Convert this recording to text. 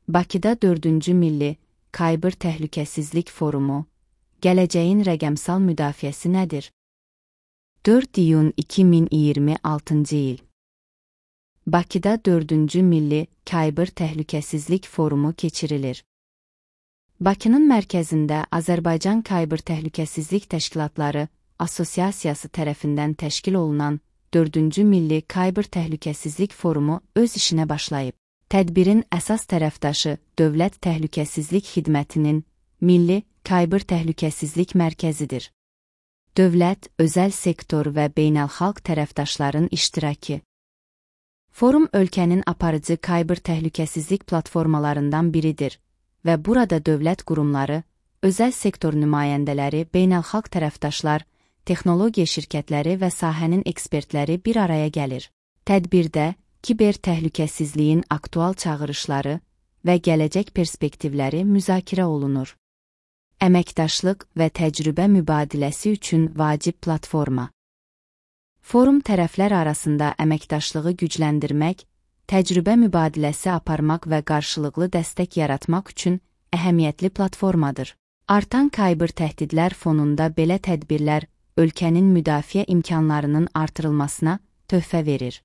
Bakıda 4-cü Milli Cyber Təhlükəsizlik Forumu, gələcəyin rəqəmsal müdafiəsi nədir? 4 iyun 2026-cı il. Bakıda 4-cü Milli Cyber Təhlükəsizlik Forumu keçirilir. Bakının mərkəzində Azərbaycan Cyber Təhlükəsizlik Təşkilatları Assosiasiyası tərəfindən təşkil olunan 4-cü Milli Cyber Təhlükəsizlik Forumu öz işinə başlayıb. Tədbirin əsas tərəfdaşı Dövlət Təhlükəsizlik Xidmətinin Milli Cyber Təhlükəsizlik Mərkəzidir. Dövlət, özəl sektor və beynəlxalq tərəfdaşların iştirakı. Forum ölkənin aparıcı cyber təhlükəsizlik platformalarından biridir və burada dövlət qurumları, özəl sektor nümayəndələri, beynəlxalq tərəfdaşlar, texnologiya şirkətləri və sahənin ekspertləri bir araya gəlir. Tədbirdə kiber təhlükəsizliyin aktual çağırışları və gələcək perspektivləri müzakirə olunur. Əməkdaşlıq və təcrübə mübadiləsi üçün vacib platforma. Forum tərəflər arasında əməkdaşlığı gücləndirmək, təcrübə mübadiləsi aparmaq və qarşılıqlı dəstək yaratmaq üçün əhəmiyyətli platformadır. Artan cyber təhdidlər fonunda belə tədbirlər ölkənin müdafiə imkanlarının artırılmasına töhfə verir.